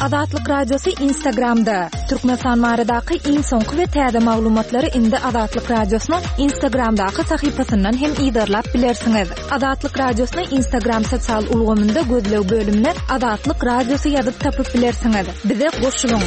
Azatlyk Radiosy Instagramda! Türkmenistan baradaky iň soňky we täze maglumatlary indi Azatlyk Radiosynyň Instagramdaky sahypasyndan hem yzarlap bilersiňiz. Azatlyk Radiosyny Instagram sosial ulgamynda gözleg bölümine Azatlyk Radiosy ýazyp tapyp bilersiňiz. Bize goşulyň!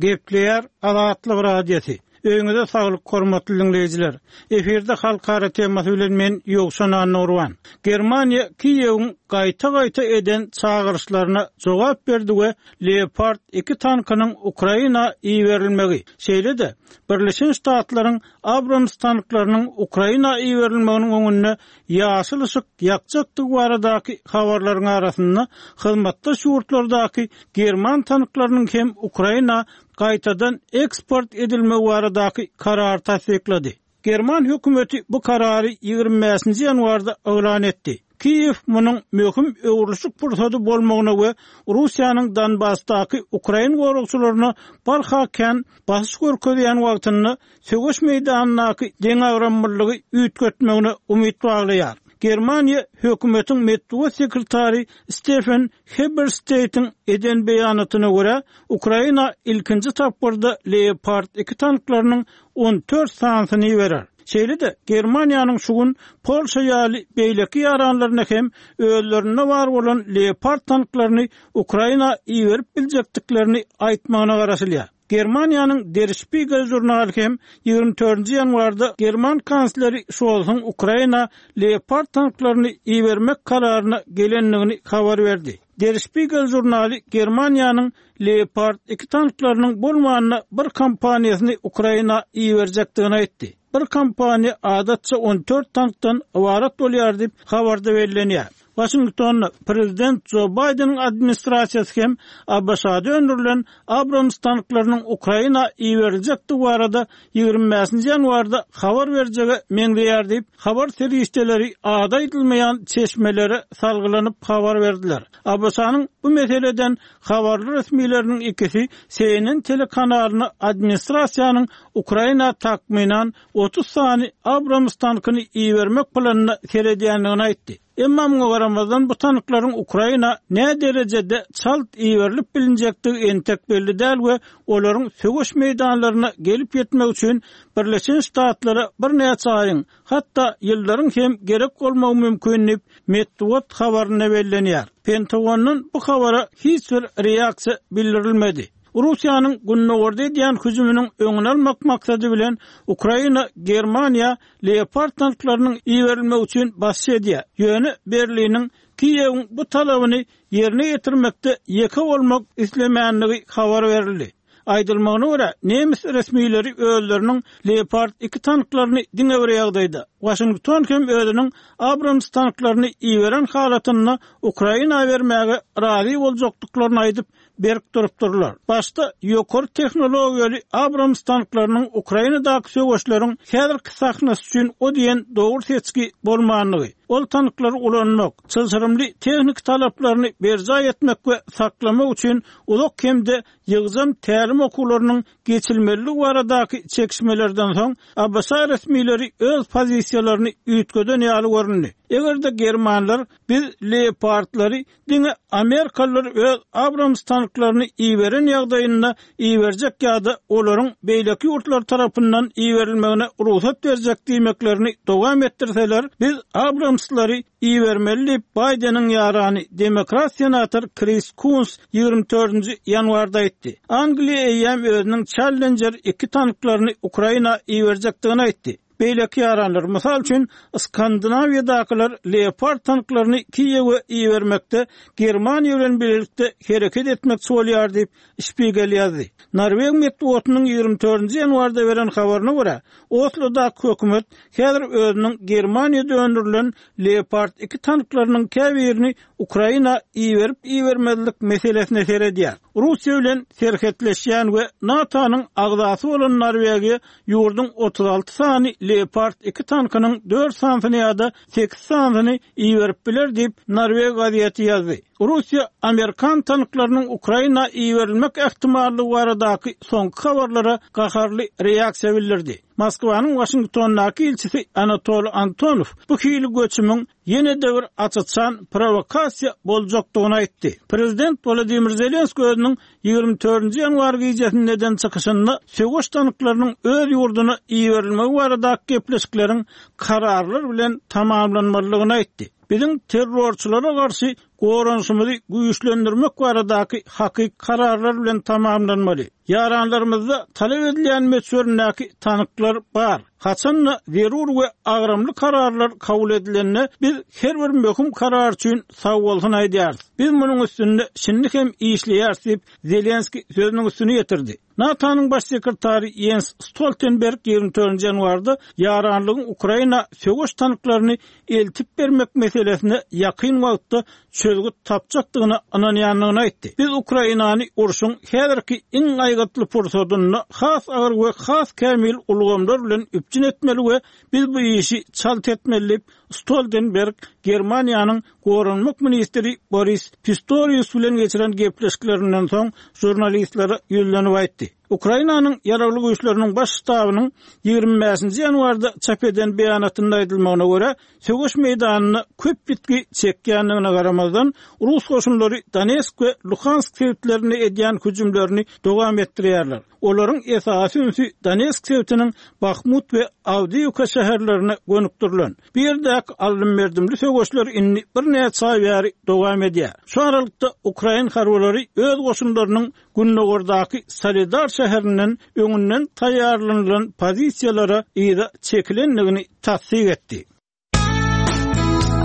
Gepleýär Azatlyk Radiosy. Öýüňize saglyk hormatly diňleýjiler. Efirde halkara temasy bilen men Ýowşan Annagurban. Germaniýa Kiýewiň gaýta-gaýta eden çagyryşlaryna jogap berdi we Leopard iki tankynyň Ukraina iberilmegi, şeýle-de Birleşen Ştatlaryň Abrams tanklarynyň Ukraina iberilmeginiň öňünde ýaşyl yşyk ýakjakdygy baradaky habarlaryň arasynda hyzmatdaş ýurtlardaky german tanklarynyň hem Ukraina gaýtadan eksport edilmegi baradaky karary tassyklady. German hökümeti bu karary 25-nji ýanwarda yglan etdi. Kiýew munuň möhüm öwrülişik pursady bolmagyna we Russiýanyň Donbasdaky ukrain goragçylaryna barha kän basyş görkezýän wagtynda söweş meýdanyndaky deňagramlylygy üýtgetmegine umyt baglaýar. Germaniýa hökümetiň metbugat sekretary Stefen Hebersteýtiň eden beýanatyna görä, Ukraina ilkinji tapgyrda Leopard iki tanklarynyň 14 sanysyny iberer. Şeýle-de, Germaniýanyň şu gün Polşa ýaly beýleki ýaranlaryna hem özlerinde bar bolan Leopard tanklaryny Ukraina iberip biljekdiklerini aýtmagyna garaşylýar. Germaniýanyň Der Spiegel žurnaly hem 24-nji ýanwarda german kansleri Şolsuň Ukraina Leopard tanklaryny ibermek kararyna gelendigini habar berdi. Der Spiegel žurnaly Germaniýanyň Leopard iki tanklarynyň bolmanda bir kompaniýasyny Ukraina iberjekdigini aýtdy. Bir kompaniýa adatça 14 tankdan ybarat bolýar diýip, habarda bellenýär. Waşingtonda prezident Jo Baýdeniň administrasiýasy hem ABŞ-da öndürilen Abrams tanklarynyň Ukraina iberiljekdigi barada 25-nji ýanwarda habar berjege meňzeýär diýip, habar serişdeleri ady aýdylmaýan çeşmelere salgylanyp habar berdiler. ABŞ-nyň bu meseleden habarly resmileriniň ikisi CNN telekanalyna administrasiýanyň Ukraina takmynan 30 sany Abrams tankyny ibermek planyna seredýändigini aýtdy. Emma muňa garamazdan, bu tanklaryň Ukraina näderejede çalt iberilip bilinjekdigi entek belli däl we olaryň söweş meýdanlaryna gelip ýetmegi üçin Birleşen Ştatlara birnäçe aýyň, hatda ýyllaryň hem gerek bolmagy mümkin diýip, metbugat habarynda bellenýär. Pentagondan bu habara hiç bir reaksiýa bildirilmedi. Russiýanyň gündogarda edýän hüjüminiň öňüni almak maksady bilen Ukraina Germaniýa Leopard tanklarynyň iberilmegi üçin basyş edýär. Ýöne Berliniň Kiýewiň bu talabyny ýerine ýetirmekde ýeke bolmak islemänligi habar berildi. Aýdylmagyna görä, nemes resmileri özleriniň Leopard iki tanklaryny diňe bir ýagdaýda, Waşington hem özüniň Abrams tanklaryny iberen halatynda Ukraina bermäge razy boljakdyklaryny aýdyp, berk durupdyrlar. Başda ýokary tehnologiýaly Abrams tanklarynyň Ukrainadaky söweşleriň häzirki sahnasy üçin o diýen dogry seçgi bolmandygy, ol tanklary ulanmak, çylşyrymly tehniki talaplaryny berjaý etmek we saklamak üçin uzak hem-de ýygjam tälim okuwlarynyň geçilmelidigi baradaky çekişmelerden soň, ABŞ resmileri öz pozisiýalaryny üýtgeden ýaly göründi. Eger-de germanlar biz Leopardlary Diňe amerikalylar öz Abrams tanklaryny iberen ýagdaýynda iberjek ýa-da olaryň beýleki ýurtlar tarapyndan iberilmegine rugsat berjek diýmeklerini dowam etdirseler, biz Abramslary ibermeli diýip, Baýdeniň ýarany, demokrat senator Kris Kuns 24-nji ýanwarda aýtdy. Angliýa eýýäm özüniň Challenger iki tanklaryny Ukraina iberjekdigini aýtdy. Beýleki ýaranlar, mysal üçin, Skandinawiýadakylar Leopard tanklaryny Kiýewe ibermekde Germaniýa bilen bilelikde hereket etmekçi bolýar diýip, Spiegel ýazdy. Norweg metbugatynyň 24-nji ýanwarda beren habaryna görä, Oslodaky hökümet häzir özüniň Germaniýada öndürilen Leopard iki tanklarynyň käbirini Ukraina iberip-ibermezlik meselesine seredýär. Russiýa bilen serhetleşýän we NATO-nyň agzasy bolan Norwegiýa ýurduň 36 sany Leopard iki tankynyň dört sanysyny ýa-da sekiz sanysyny iberip biler diýip, norweg gazeti ýazdy. Russiýa amerikan tanklarynyň Ukraina iberilmek ähtimallygy baradaky soňky habarlara gaharly reaksiýa bildirdi. Moskwanyň Waşingtondaky ilçisi Anatoliý Antonow bu hili göçümiň ýene-de bir aç-açan prowokasiýa boljakdygyny aýtdy. Prezident Wolodymyr Zelenskiý özüniň 24-nji ýanwar gijesinde eden çykyşynda söweş tanklarynyň öz ýurduna iberilmegi baradaky gepleşikleriň kararlar bilen tamamlanmalydygyny aýtdy. Biziň terrorçylara garşy goranyşymyzy güýçlendirmek baradaky hakyky kararlar bilen tamamlanmaly. Ýaranlarymyzda talap edilýän möçberindäki tanklar bar. Haçan-da zerur we agramly kararlar kabul edilende, biz her bir möhüm karar üçin sagbolsun aýdýarys. Biz munuň üstünde şindi hem işleýäris diýip, Zelenskiý sözüniň üstüni ýetirdi. NATO-nyň Baş sekretary Ýens Stoltenberg 24 ýanwarda ýaranlygyň Ukraina söweş tanklaryny eltip bermek meselesine ýakyn wagtda çözgüt tapjakdygyna ynanýandygyny aýtdy. Biz Ukrainany urşuň häzirki iň aýgytly pursadynda has agyr we has kämil ulgamlar bilen üpjün etmeli we biz bu işi çalt etmeli diýip, Stoltenberg Germaniýanyň goranmak ministri Boris Pistorius bilen geçiren gepleşiklerinden soň žurnalistlere ýüzlenip aýtdy. Ukrainanyň Ýaragly Güýçleriniň Baş ştabynyň 25-nji ýanwarda çap eden beýanatynda aýdylmagyna görä, söweş meýdanynda köp ýitgi çekýändigine garamazdan, rus goşunlary Donetsk we Luhansk sebitlerinde edýän hüjümlerini dowam etdirýärler. Olaryň esasy ünsi Donetsk sebitiniň Bahmut we Awdiýewka şäherlerine gönükdirilen. Bu ýerdäki aldym-berdimli söweşler indi birnäçe aý bäri dowam edýär. Şu aralykda, ukrain harbylary öz goşunlarynyň gündogardaky Soledar şäherinden öňünden taýýarlanylan pozisiýalara yza çekilendigini tassyk etdi.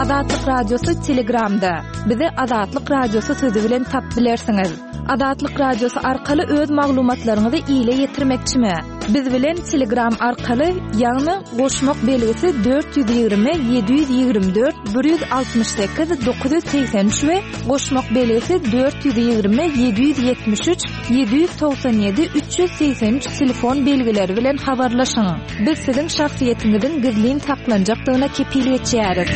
Azatlyk Radiosy Telegramda. Bizi Azatlyk Radiosy sözi bilen tapyp bilersiňiz. Azatlyk Radiosy arkaly öz maglumatlaryňyzy ile ýetirmekçimi? Biz bilen Telegram arkaly, ýagny goşmak belgisi 420 724 168 983 we goşmak belgisi 420 773 797 383 telefon belgileri bilen habarlaşyň. Biz siziň şahsyýetiňiziň gizlin saklanjakdygyna kepil geçýäris.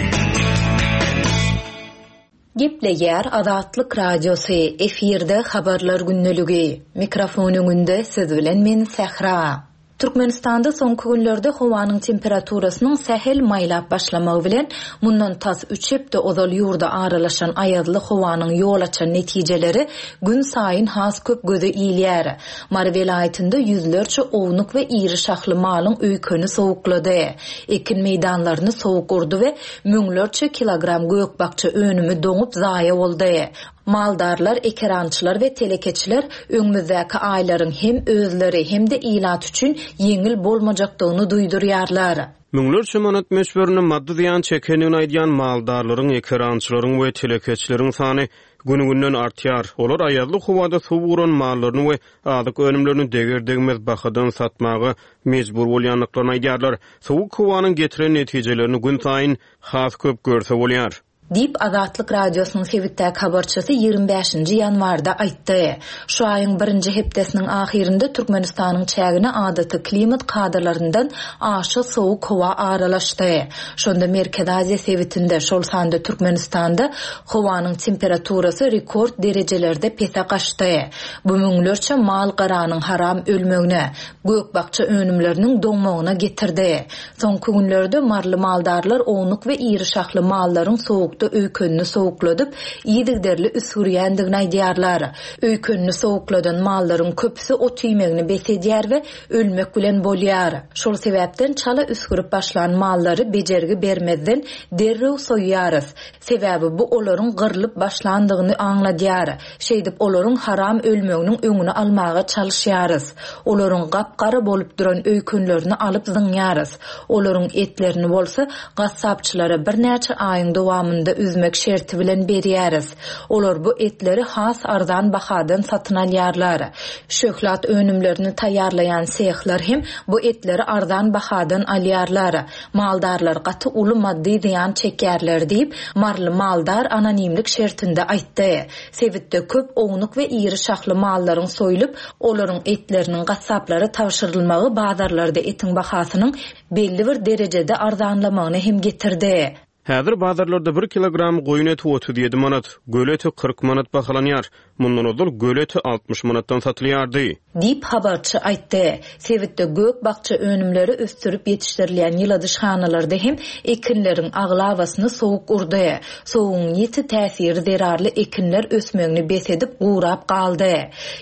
Gepleýär Azatlyk Radiosy, efirde Habarlar gündeligi. Mikrofon öňünde siz bilen men Sähra. Türkmenistanda soňky günlerde howanyň temperaturasynyň sähel maýlap başlamagy bilen, mundan tas üç hepde ozal ýurda aralaşan aýazly howanyň ýol açan netijeleri günsaýyn has köp göze ilýär. Mary welaýatynda ýüzlerçe ownuk we iri şahly malyň öýkeni sowuklady. Ekin meýdanlaryny sowuk urdy we müňlerçe kilogram gök-bakja önümi doňup zaýa boldy. Maldarlar, ekerançylar we telekeçiler öňümizdäki aýlaryň hem özleri, hem-de ilat üçin ýeňil bolmajakdygyny duýdurýarlar. Müňlerçe manat möçberinde maddy zyýan çekendigini aýdýan maldarlaryň, ekerançylaryň we telekeçileriň sany gün-günden artýar. Olar aýazly howada suw uran mallaryny we azyk önümlerini deger-degmez bahadan satmaga mejbur bolýandyklaryny aýdýarlar. Sowuk howanyň getiren netijelerini günsaýyn has köp görse bolýar. Diýip, Azatlyk Radiosynyň sebitdäki habarçysy 25-nji ýanwarda aýtdy. Şu aýyň birinji hepdesiniň ahyrynda Türkmenistanyň çägine adaty klimat kadalaryndan aşa sowuk howa aralaşdy. Şonda Merkezi Aziýa sebitinde, şol sanda Türkmenistanda howanyň temperaturasy rekord derejelerde pese gaçdy. Bu müňlerçe mal-garanyň haram ölmegine, gök-bakja önümleriniň doňmagyna getirdi. Soňky günlerde maryly maldarlar ownuk we iri şahly mallaryň sowukda öýkenini sowukladyp, yzygiderli üsgürýändigini aýdýarlar. Öýkenini sowukladan mallaryň köpüsi ot iýmegini bes edýär we ölmek bilen bolýar. Şol sebäpden çala üsgürip başlan mallary bejergi bermezden derrew soýýarys. Sebäbi bu olaryň gyrlyp başlandygyny aňladýar. Şeýdip olaryň haram ölmeginiň öňüni almaga çalyşýarys. Olaryň gap-gara bolup duran öýkenlerini alyp zyňýarys. Olaryň etlerini bolsa gassapçylara birnäçe aýyň dowamynda üzmek şerti bilen berýäris. Olar bu etleri has arzan bahadan satyn alýarlar. Şöhlat önümlerini taýýarlaýan sehler hem bu etleri arzan bahadan alýarlar. Maldarlar gaty uly maddy zyýan çekýärler diýip, maryly maldar anonimlik şertinde aýtdy. Sebitde köp ownuk we iri şahly mallaryň soýlup, olaryň etleriniň gassaplara tabşyrylmagy bazarlarda etiň bahasynyň belli bir derejede arzanlamagyna hem getirdi. Häzir bazarlarda bir kilogram goýun eti 37 manat, göle eti 40 manat bahalanýar. Mundan ozal göle eti 60 manatdan satylýardy. Diýip, habarçy aýtdy. Sebitde gök-bakja önümleri ösdürip ýetişdirilýän ýyladyşhanalarda hem ekinleriň aglabasyny sowuk urdy. Sowugyň ýiti täsiri zerarly ekinler ösmegini bes edip, gurap galdy.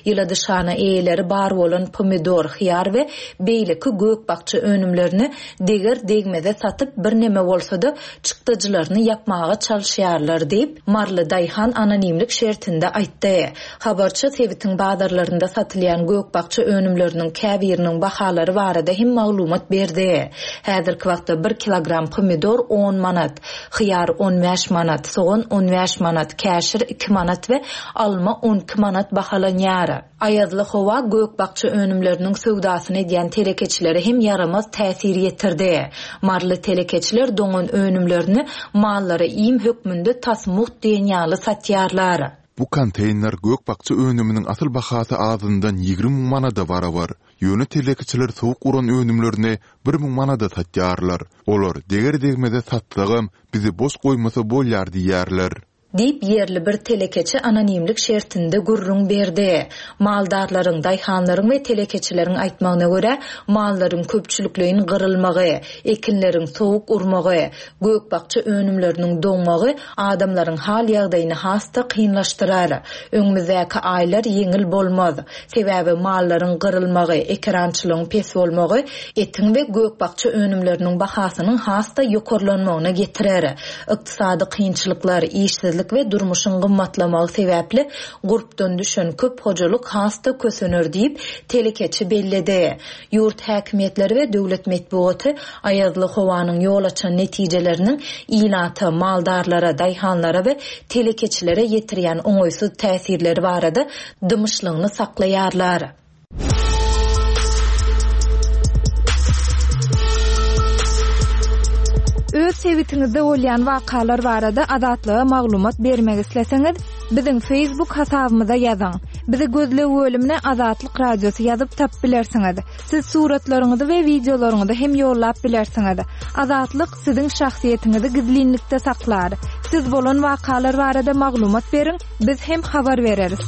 Ýyladyşhana eýeleri bar bolan pomidor, hyýar we beýleki gök-bakja önümlerini deger-degmeze satyp, birneme bolsa-da, çykdajylaryny ýapmaga çalyşýarlar diýip, maryly daýhan anonimlik şertinde aýtdy. Habarçy sebitiň bazarlarynda satylýan gök-bakja önümleriniň käbiriniň bahalary barada hem maglumat berdi. Häzirki wagtda bir kilogram pomidor on manat, hyýar 15 manat, sogan 15 manat, käşir iki manat we alma 12 manat bahalanýar. Aýazly howa gök-bakja önümleriniň söwdasyny edýän telekeçilere hem ýaramaz täsir ýetirdi. Maryly telekeçiler doňan önümlerini mallara iým hökmünde tas mugt diýen ýaly satýarlar. Bu konteýner gök-bakja önüminiň asyl bahasy azyndan 20 müň manada barabar. Ýöne telekeçiler sowuk uran önümlerini 1000 manada satýarlar. Olar deger-degmeze satsagam, bizi boş goýmasa bolýar diýýärler. Diýip, ýerli bir telekeçi anonimlik şertinde gürrüň berdi. Maldarlaryň, daýhanlaryň we telekeçileriň aýtmagyna görä, mallaryň köpçülikleýin gyrylmagy, ekinleriň sowuk urmagy, gök-bakja önümleriniň doňmagy adamlaryň hal-ýagdaýyny has-da kynlaşdyrar. Öňümizdäki aýlar ýeňil bolmaz. Sebäbi mallaryň gyrylmagy, ekerançylygyň pes bolmagy etiň we gök-bakja önümleriniň bahasynyň has-da ýokarlanmagyna getirer. Ykdysady kynçylyklar, işsizlik we durmuşyň gymmatlamagy sebäpli gurpdan düşen köp hojalyk has-da kösener diýip, telekeçi belledi. Ýurt häkimiýetleri we döwlet metbugaty aýazly howanyň ýol açan netijeleriniň ilata, maldarlara, daýhanlara we telekeçilere ýetirýän oňaýsyz täsirleri barada dymyşlygyny saklaýarlar. Öz sebitiňizde bolýan wakalar barada Azatlyga maglumat bermek isleseňiz, biziň Facebook hasabymyza ýazyň. Bizi gözleg bölümine Azatlyk Radiosy ýazyp tapyp bilersiňiz. Siz suratlaryňyzy we wideolaryňyzy hem ýollap bilersiňiz. Azatlyk siziň şahsyýetiňizi gizlinlikde saklar. Siz bolan wakalar barada maglumat beriň, biz hem habar bereris.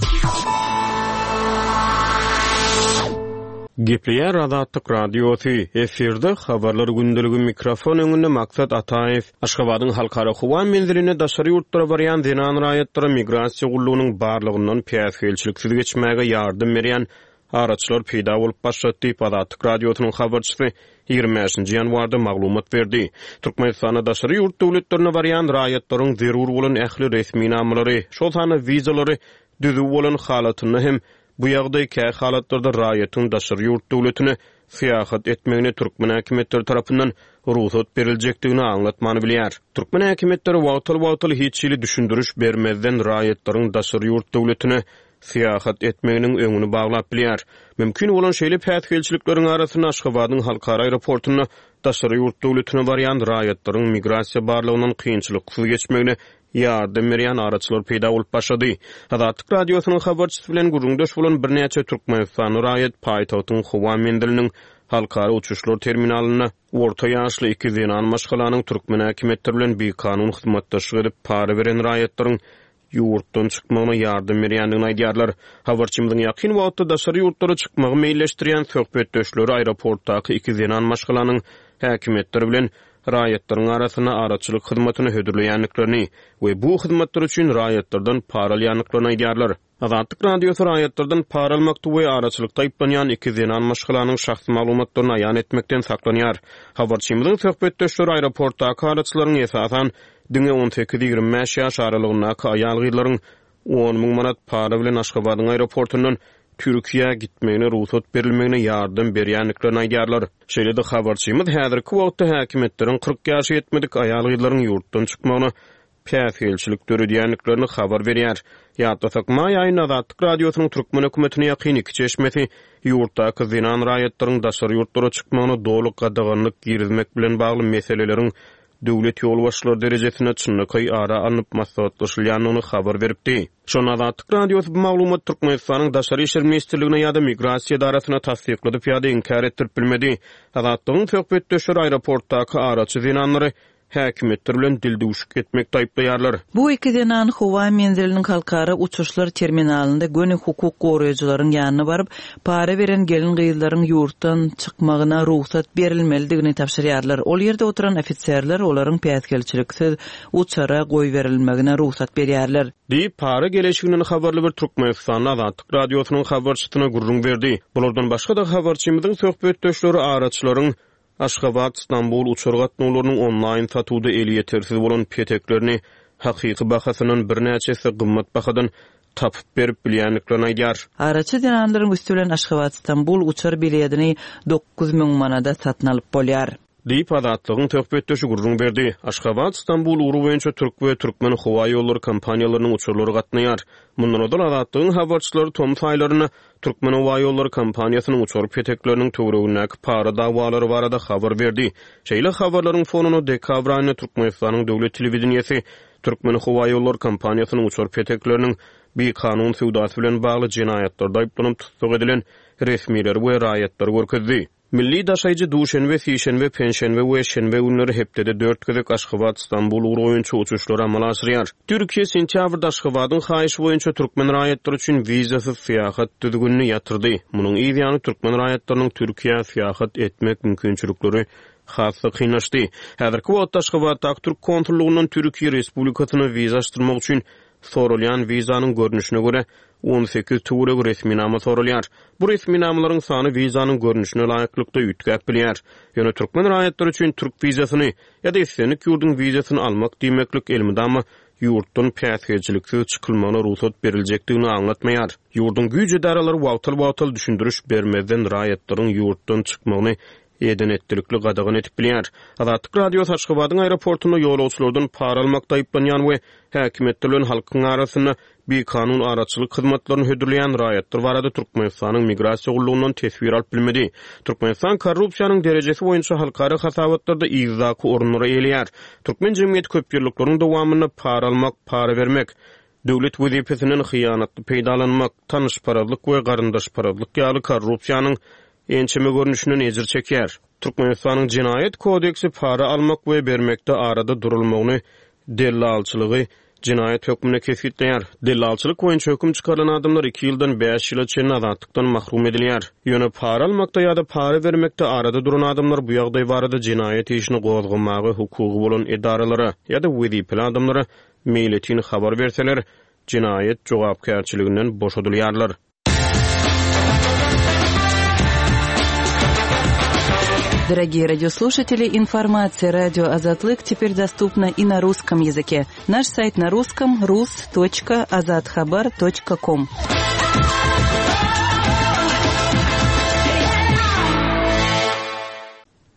Gepleýär Azatlyk Radiosy, efirde Habarlar gündeligi mikrofon öňünde Maksat Ataýew. Aşgabadyň Halkara howa menzilinde daşary ýurtlara barýan zenan raýatlara migrasiýa gullugynyň barlagyndan päsgelçiliksiz geçmäge ýardam berýän araçylar peýda bolup başlady diýip, Azatlyk Radiosynyň habarçysy 25-nji ýanwarda maglumat berdi. Türkmenistanda daşary ýurt döwletlerine barýan raýatlaryň zerur bolan ähli resminamalary, şol sanda wizalary düzüw bolan halatynda hem bu ýagdaý kä halatlarda raýatyň daşary ýurt döwletine syýahat etmegine türkmen häkimiýetleri tarapyndan rugsat beriljekdigini aňlatmany bilýär. Türkmen häkimiýetleri wagtal-wagtal hiç hili düşündiriş bermezden raýatlaryň daşary ýurt döwletine syýahat etmeginiň öňüni baglap bilýär. Mümkin bolan şeýle päsgelçilikleriň arasynda Aşgabadyň halkara aeroportunda daşary ýurt döwletine barýan raýatlaryň migrasiýa barlagyndan kynçylyksyz geçmegine ýardam berýän araçylar peýda bolup başlady. Azatlyk Radiosynyň habarçysy bilen gürrüňdeş bolan birnäçe türkmenistanly raýat paýtagtyň howa menziliniň halkara uçuşlar terminalynda orta ýaşly iki zenan maşgalanyň türkmen häkimiýetleri bilen bikanun hyzmatdaşlyk edip para beren raýatlaryň ýurtdan çykmagyna ýardam berýändigini aýdýarlar. Habarçymyzyň ýakyn wagtda daşary ýurtlara çykmagy meýilleşdirýän söhbetdeşleri aeroportdaky iki zenan maşgalanyň häkimiýetler bilen raýatlaryň arasynda araçylyk hyzmatyny hödürleýändiklerini we bu hyzmatlar üçin raýatlardan para alýandyklaryny aýdýarlar. Azatlyk Radiosy raýatlardan para almakda we araçylykda aýyplanýan iki zenan maşgalanyň şahsy maglumatlaryny aýan etmekden saklanýar. Habarçymyzyň söhbetdeşleri aeroportdaky araçylaryň esasan diňe on sekiz-ýigrimi bäş ýaş aralygyndaky aýal-gyzlaryň 10 müň manat para bilen Aşgabadyň aeroportundan Türkiýä gitmegine rugsat berilmegine ýardam berýändiklerini aýdýarlar. Şeýle-de habarçymyz häzirki wagtda häkimiýetleriň 40 ýaşa ýetmedik aýal-gyzlaryň ýurtdan çykmagyna päsgelçilik döredýändiklerini habar berýär. Ýatlasak, maý aýynda Azatlyk Radiosynyň türkmen hökümetine ýakyn iki çeşmesi ýurtdaky zenan raýatlaryň daşary ýurtlara çykmagyna doly gadaganlyk girizmek bilen bagly meseleleriň döwlet ýolbaşçylary derejesinde çynlakaý ara alnyp maslahatlaşylýandygyny habar beripdi. Şonda Azatlyk Radiosy bu maglumaty Türkmenistanyň Daşary işler ministrligine ýa-da Migrasiýa edarasyna tassykladyp ýa-da inkär etdirip bilmedi. Azatlygyň söhbetdeşleri aeroportdaky araçy zenanlary. häkimiýetler bilen dildüwşük etmekde aýyplaýarlar. Bu iki zenan howa menziliniň halkara uçuşlar terminalynda göni hukuk goraýjylaryň ýanyna baryp, para beren gelin-gyzlaryň ýurtdan çykmagyna rugsat berilmelidigini tabşyrýarlar. Ol ýerde oturan ofiserler olaryň päsgelçiliksiz uçara goýberilmegine rugsat berýärler. Diýip, para geleşiginden habarly bir türkmenistanly Azatlyk Radiosynyň habarçysyna gürrüň berdi. Bulardan başga-da, habarçymyzyň söhbetdeşleri araçylaryň Aşgabat, Stambul uçar gatnawlarynyň onlaýn satuwda elýetersiz bolan peteklerini hakyky bahasyndan birnäçe esse gymmat bahadan tapyp berip bilýändiklerini aýdýar. Araçy zenanlaryň üsti bilen Aşgabat, Stambul uçar biledini 9000 manada satyn alyp bolýar. Diýip, Azatlygyň söhbetdeşi gürrüň berdi. Aşgabat, Stambul ugry boýunça türk we türkmen howaýollary kompaniýalarynyň uçarlary gatnaýar. Mundan ozal Azatlygyň habarçylary tomus aýlarynda Türkmenhowaýollary kompaniýasynyň uçar petekleriniň töweregindäki para dawalary barada habar berdi. Şeýle habarlaryň fonunda dekabr aýynda Türkmenistanyň döwlet telewideniýesi Türkmenhowaýollary kompaniýasynyň uçar petekleriniň bikanun söwdasy bilen bagly jenaýatlarda aýyplanyp tussag edilen resmileri we raýatlary görkezdi. Milli daşaýjy duşenbe, sişenbe, penşenbe we şenbe günleri hepdede dört gezek Aşgabat, Stambul ugry boýunça uçuşlary amala aşyrýar. Türkiýe sentýabrda Aşgabadyň haýyşy boýunça türkmen raýatlary üçin wizasyz syýahat düzgünini ýatyrdy. Munuň yz ýany türkmen raýatlarynyň Türkiýä syýahat etmek mümkinçilikleri has-da kynlaşdy. Häzirki wagtda Aşgabatdaky türk konsullygyndan Türkiýe Respublikasyna wiza açdyrmak üçin soralýan wizanyň görnüşine görä 18 töweregi resminama soralýar. Bu resminamalaryň sany wizanyň görnüşine laýyklykda üýtgäp bilýär. Ýöne türkmen raýatlary üçin türk wizasyny ýa-da islendik ýurduň wizasyny almak diýmeklik elmydama ýurtdan päsgelçiliksiz çykylmagyna rugsat beriljekdigini aňlatmaýar. Ýurduň güýç edaralary wagtal-wagtal düşündiriş bermezden raýatlaryň ýurtdan çykmagyny eden-etdilikli gadagan edip bilýär. Azatlyk Radiosy Aşgabadyň aeroportunda ýolagçylardan para almakda aýyplanýan we häkimiýetler bilen halkyň arasynda bikanun araçylyk hyzmatlaryny hödürleýän raýatlar barada Türkmenistanyň Migrasiýa gullugyndan teswir alyp bilmedi. Türkmenistan korrupsiýanyň derejesi boýunça halkara hasabatlarda yzdaky orunlary eýeleýär. Türkmen jemgyýeti köpýyllyklaryň dowamynda para almak, para bermek, döwlet wezipesinden hyýanatly peýdalanmak, tanyşparazlyk we garyndaşparazlyk ýaly korrupsiýanyň ençeme görnüşinden ejir çekýär. Türkmenistanyň Jenaýat kodeksi para almak we bermekde arada durulmagyny, dellalçylygy jenaýat hökmünde kesgitleýär. Dellalçylyk boýunça höküm çykarylan adamlar iki ýyldan bäş ýyla çenli azatlykdan mahrum edilýär. Ýöne para almakda ýa-da para bermekde arada duran adamlar bu ýagdaý barada jenaýat işini gozgamaga hukugy bolan edaralara ýa-da wezipeli adamlara meýletin habar berseler, jenaýat jogapkärçiliginden boşadylýarlar. Дорогие радиослушатели, информация радио Азатлык теперь доступна и на русском языке. Наш сайт на русском rus.azathabar.com.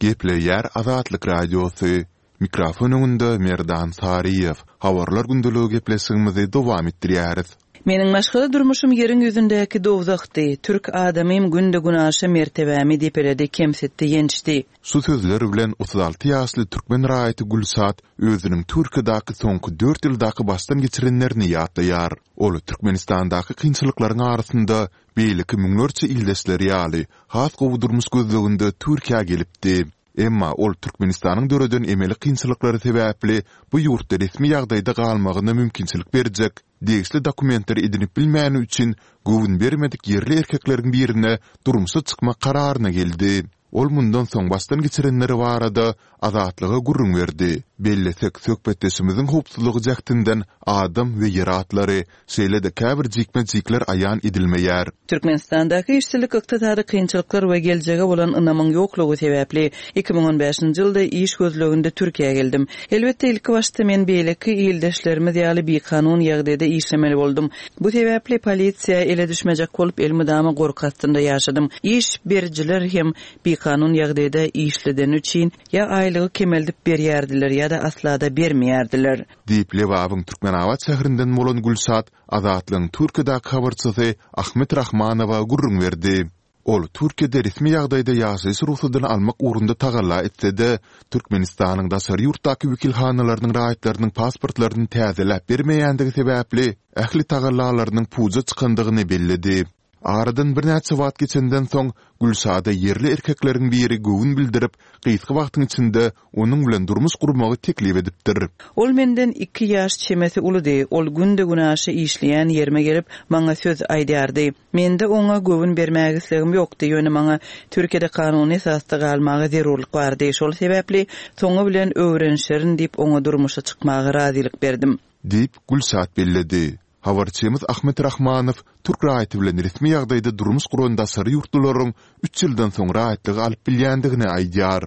Gepleýär Azatlyk Radiosy. Mikrofon öňünde Merdan Saryýew. Habarlar gündeligi gepleşigimizi dowam etdirýäris. Meniň maşgala durmuşym ýeriň ýüzündäki dowzahdy. Türk adamym günde-günaşa mertebämi depeledi, kemsitdi, ýençdi. Şu sözler bilen 36 ýaşly türkmen raýaty Gülşat özüniň Türkiýedäki soňky dört ýyldaky başdan geçirenlerini ýatlaýar. Ol Türkmenistandaky kynçylyklaryň arasynda beýleki müňlerçe ildeşleri ýaly, has gowy durmuş gözleginde Türkiýä gelipdi. Emma ol Türkmenistanyň döreden emeli kynçylyklary sebäpli bu ýurtda resmi ýagdaýda galmagyna mümkinçilik berjek degişli dokumentleri edinip bilmäni üçin göwün bermedik ýerli erkekleriň birine durmuşa çykmak kararyna geldi. Ol mundan soň başdan geçirenleri barada Azatlyga gürrüň berdi. Bellesek, söhbetdeşimiziň howpsuzlygy jähtinden adam we ýer atlary, Şeýle-de käbir jikme-jikler aýan edilmeýär. Türkmenistandaky işsizlik, ykdysady kynçylyklar we geljege bolan ynamyň ýoklugy sebäpli, 2015-nji ýylda iş gözleginde Türkiýä geldim. Elbetde, ilkibaşda men beýleki ildeşlerimiz ýaly bikanun ýagdaýda işlemeli boldum. Bu sebäpli polisiýa ele düşmejek bolup, elmydama gorky astynda ýaşadym. Iş berijiler hem bikanun ýagdaýda işledeni üçin ýa aýlygy kemeldip berýärdiler ýa-da asla-da bermeýärdiler. Diýip, Lebabyň Türkmenabat şäherinden bolan Gülşat Azatlygyň Türkiýedäki habarçysy Ahmet Rahmanowa gürrüň berdi. Ol Türkiýede resmi ýagdaýda ýaşaýyş rugsadyny almak ugrunda tagalla etse-de, Türkmenistanyň daşary ýurtdaky wekilhanalarynyň raýatlarynyň pasportlaryny täzeläp bermeýändigi sebäpli, ähli tagallalarynyň puja çykandygyny belledi. Aradan birnäçe wagt geçenden soň, Gülşada ýerli erkekleriň biri göwün bildirip, gysga wagtyň içinde onuň bilen durmuş gurmagy teklip edipdir. Ol menden iki ýaş çemesi uludy. Ol günde-günaşa işleýän ýerime gelip, maňa söz aýdýardy. Mende oňa göwün bermäge islegim ýokdy, ýöne maňa Türkiýede kanuny esasda galmaga zerurlyk bardy. Şol sebäpli, soňy bilen öwrenişerin diýip, oňa durmuşa çykmaga razylyk berdim. Diýip, Gülşat belledi. Habarçymyz Ahmet Rahmanow türk raýaty bilen resmi ýagdaýda durmuş guran daşary ýurtlularyň üç ýyldan soň raýatlygy alyp bilýändigini aýdýar.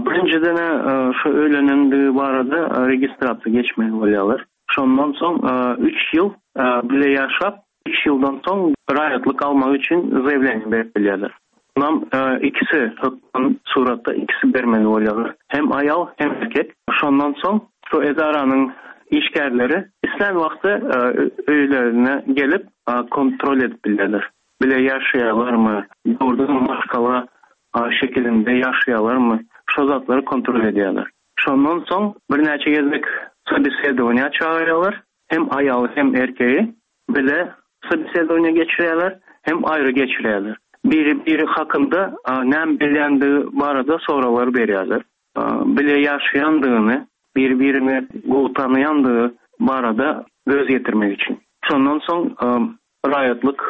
Birinjiden-ä şu öýlenendigi barada registrasiýa geçmeli bolýarlar. Şondan soň üç ýyl bile ýaşap, üç ýyldan soň raýatlyk almak üçin zaýawleniýe berip bilýärler. Munam ikisi hökman suratda ikisi bermeli bolýarlar. Hem aýal, hem erkek. Şondan soň şu edaranyň işgärleri islän wagty öýlerine gelip kontrol edip bilýärler. Bile ýaşaýarlarmy, dogrudanam maşgala şekilinde ýaşaýarlarmy, şo zatlary kontrol edýärler. Şondan soň birnäçe gezek sobesedowaniýa çagyrýarlar, hem aýaly hem erkegi bile sobesedowaniýa geçirýärler, hem aýry geçirýärler. Biri-biri hakynda näme bilýändigi barada soraglar berýärler. Bile ýaşaýandygyny, biri-birini gowy tanaýandygy barada göz ýetirmek üçin. Şondan soň raýatlyk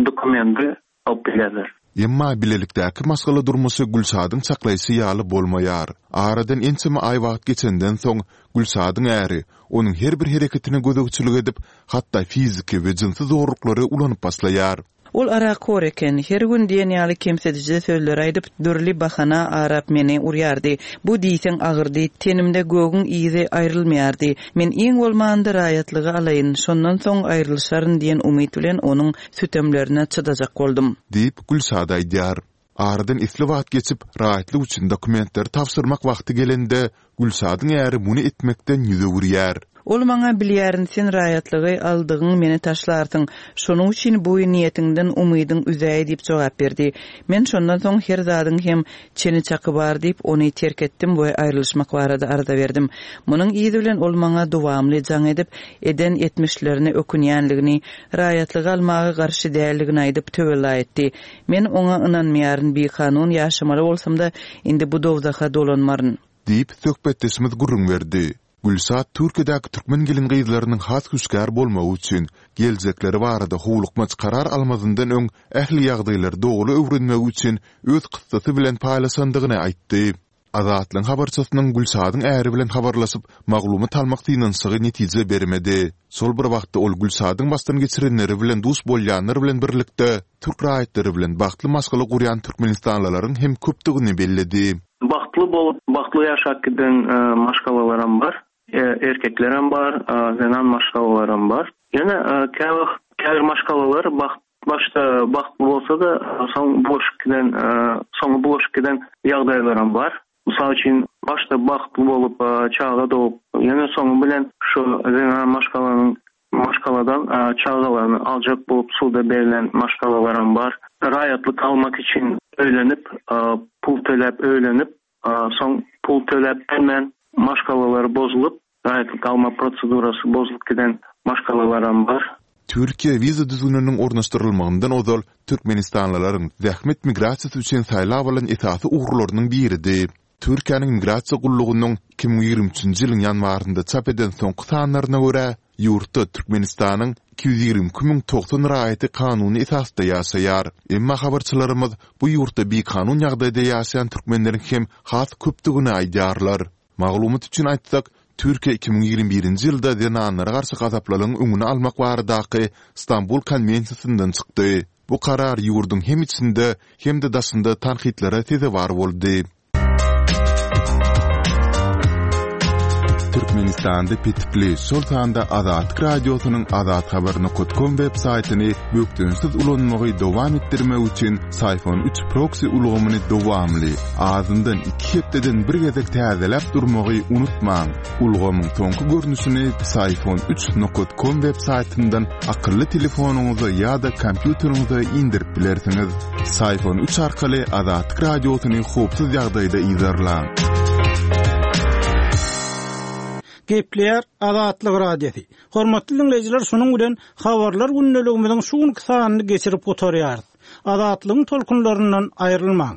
dokumendi alyp bilýärler. Emma bilelikdäki maşgala durmuşy Gülşadyň çaklaýşy ýaly bolmaýar. Aradan ençeme aý wagt geçenden soň, Gülşadyň äri onuň her bir hereketine gözegçilik edip, hatda fiziki we jynsy zorluklary ulanyp başlaýar. Ol arakhor eken. Her gün diýen ýaly kemsidiji sözleri aýdyp, dürli bahana arap meni urýardy. Bu diýseň agyrdy. Tenimde gögüň yzy aýrylmaýardy. Men iň bolmanda raýatlygy alaýyn, şondan soň aýrylyşaryn diýen umyt bilen onuň sütemlerine çydajak boldum. Diýip, Gülşat aýdýar. Aradan esli wagt geçip, raýatlyk üçin dokumentleri tabşyrmak wagty gelende, Gülşadyň äri muny etmekden ýüz öwürýär. Ol maňa, Bilýärin, sen raýatlygy aldygyň meni taşlarsyň. Şonuň üçin bu niýetiňden umydyň üzäý diýip jogap berdi. Men şondan soň her zadyň hem çeni-çaky bar diýip, ony terk etdim we aýrylyşmak barada arza berdim. Munuň yzy bilen ol maňa dowamly jaň edip, eden etmişlerine ökünýänligini, raýatlygy almaga garşy däldigini aýdyp töwella etdi. Men oňa ynanmaýaryn, bikanun ýaşamaly bolsam-da, indi bu dowzaha dolanmaryn. Diýip, söhbetdeşimiz gürrüň berdi. Gülşat Türkiýedäki türkmen gelin-gyzlarynyň has hüşgär bolmagy üçin, geljekleri barada howlukmaç karar almazyndan öň ähli ýagdaýlary doly öwrenmegi üçin öz kyssasy bilen paýlaşandygyny aýtdy. Azatlygyň habarçysynyň Gülşadyň äri bilen habarlaşyp, maglumat almak synanyşygy netije bermedi. Şol bir wagtda ol Gülşadyň başdan geçirenleri bilen duş bolýanlar bilen birlikde, türk raýatlary bilen bagtly maşgala gurýan türkmenistanlylaryň hem köpdügini belledi. Bagtly bolup, bagtly ýaşap giden maşgalalaram bar. Erkeklerem bar, zenan maşgalalaram bar. Ýöne käwagt käbir maşgalalar bagt başda bagtly bolsa-da, soň bulaşyp giden, soňy bulaşyp giden ýagdaýlaram bar. Mysal üçin, başda bagtly bolup, çaga dogup, ýöne soňy bilen şu zenan maşgalanyň maşgaladan çagalaryny aljak bolup suda berlen maşgalalaram bar. Raýatlyk almak üçin öýlenip, pul töläp öýlenip, Soň pul töläp bilmän maşgalalary bozulyp, raýatlyk alma prosedurasy bozulyp giden maşgalalaram bar. Türkiýe wiza düzgüniniň ornaşdyrylmagyndan ozal türkmenistanlylaryň zähmet migrasiýasy üçin saýlap alan esasy ugurlarynyň biridi. Türkiýäniň Migrasiýa gullugynyň 2023-nji ýylyň ýanwarynda çap eden soňky sanlaryna görä, Ýurtda Türkmenistanyň 222 090 raýaty kanuny esasda ýaşaýar. Emma habarçylarymyz bu ýurtda bikanun ýagdaýda ýaşaýan türkmenleriň hem has köpdügini aýdýarlar. Maglumat üçin aýtsak, Türkiýe 2021-nji ýylda zenanlara garşy gazaplylygyň öňüni almak baradaky Stambul konwensiýasyndan çykdy. Bu karar ýurduň hem içinde, hem-de daşynda tankytlara sezewar boldy. Türkmenistanda petikli, şol sanda Azatlyk Radiosynyň azathabar.com web saýtyny bökdençsiz ulanmagy dowam etdirmek üçin Syphon 3 proksi ulgamyny dowamly, azyndan iki hepdeden bir gezek täzeläp durmagy unutmaň. Ulgamyň soňky görnüşini Syphon 3 com web saýtyndan akylly telefonyňyza ýa-da kompýuteriňize indirip bilersiňiz. Syphon 3 arkaly Azatlyk Radiosyny howpsuz ýagdaýda yzarlaň. Gepleýär Azatlyk Radiosy. Hormatly diňleýjiler şunuň bilen Habarlar gündeligimiziň şu günki sanyny geçirip gutarýarys. Azatlygyň tolkunlaryndan aýrylmaň.